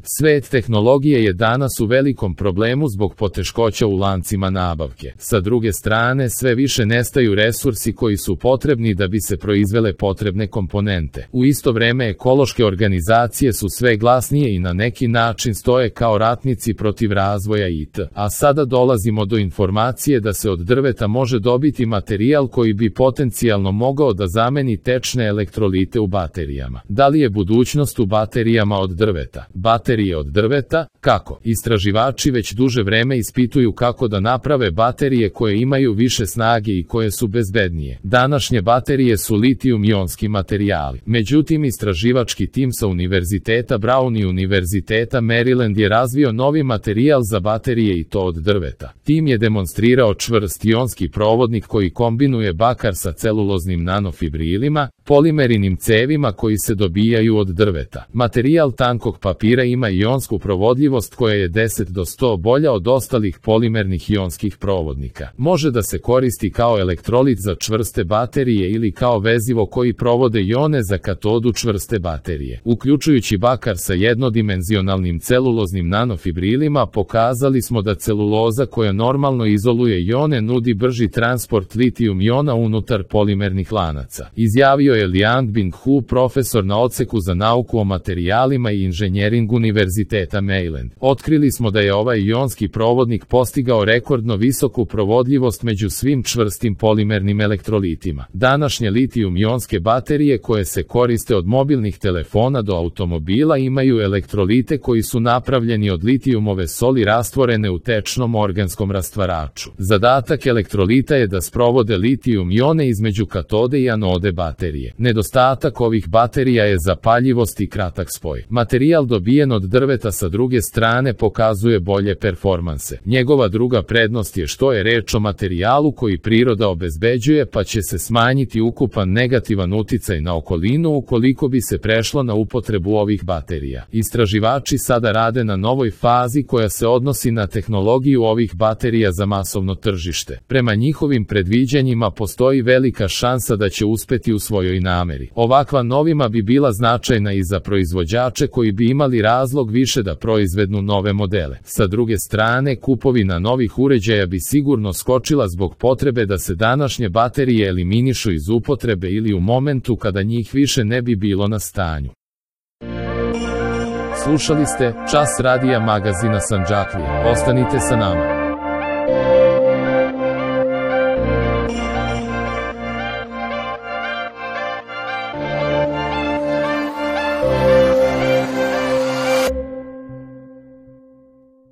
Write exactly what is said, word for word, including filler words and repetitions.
Svet tehnologije je danas u velikom problemu zbog poteškoća u lancima nabavke. Sa druge strane, sve više nestaju resursi koji su potrebni da bi se proizvele potrebne komponente. U isto vreme ekološke organizacije su sve glasnije i na neki način stoje kao ratnici protiv razvoja I T. A sada dolazimo do informacije da se od drveta može dobiti materijal koji bi potencijalno mogao da zameni tečne elektrolite u baterijama. Da li je budućnost u baterijama od drveta? Baterije od drveta? Kako? Istraživači već duže vreme ispituju kako da naprave baterije koje imaju više snage i koje su bezbednije. Današnje baterije su litijum-ionski materijali. Međutim, istraživački tim sa Univerziteta Brown i Univerziteta Maryland je razvio novi materijal za baterije i to od drveta. Tim je demonstrirao čvrst ionski provodnik koji kombinuje bakar sa celuloznim nanofibrilima, polimerinim cevima koji se dobijaju od drveta. Materijal tankog papira ima ionsku provodljivost koja je deset do sto bolja od ostalih polimernih ionskih provodnika. Može da se koristi kao elektrolit za čvrste baterije ili kao vezivo koji provode ione za katodu čvrste baterije. Uključujući bakar sa jednodimenzionalnim celuloznim nanofibrilima, pokazali smo da celuloza koja normalno izoluje ione nudi brži transport litijum iona unutar polimernih lanaca. Izjavio je Liang Bing-hu, profesor na odseku za nauku o materijalima i inženjering Univerziteta Maryland. Otkrili smo da je ovaj ionski provodnik postigao rekordno visoku provodljivost među svim čvrstim polimernim elektrolitima. Današnje litijum-ionske baterije koje se koriste od mobilnih telefona do automobila imaju elektrolite koji su napravljeni od litijumove soli rastvorene u tečnom organskom rastvaraču. Zadatak elektrolita je da sprovode litijum-ione između katode i anode baterije. Nedostatak ovih baterija je zapaljivost i kratak spoj. Materijal dobijen od drveta sa druge strane pokazuje bolje performanse. Njegova druga prednost je što je reč o materijalu koji priroda obezbeđuje, pa će se smanjiti ukupan negativan uticaj na okolinu ukoliko bi se prešlo na upotrebu ovih baterija. Istraživači sada rade na novoj fazi koja se odnosi na tehnologiju ovih baterija za masovno tržište. Prema njihovim predviđanjima postoji velika šansa da će uspeti u svojoj nameri. Ovakva novima bi bila značajna i za proizvođače koji bi imali razlog više da proizvednu nove modele. Sa druge strane, kupovina novih uređaja bi sigurno skočila zbog potrebe da se današnje baterije eliminišu iz upotrebe ili u momentu kada njih više ne bi bilo na stanju. Slušali ste Čas radija magazina Sandžaklija. Ostanite sa nama.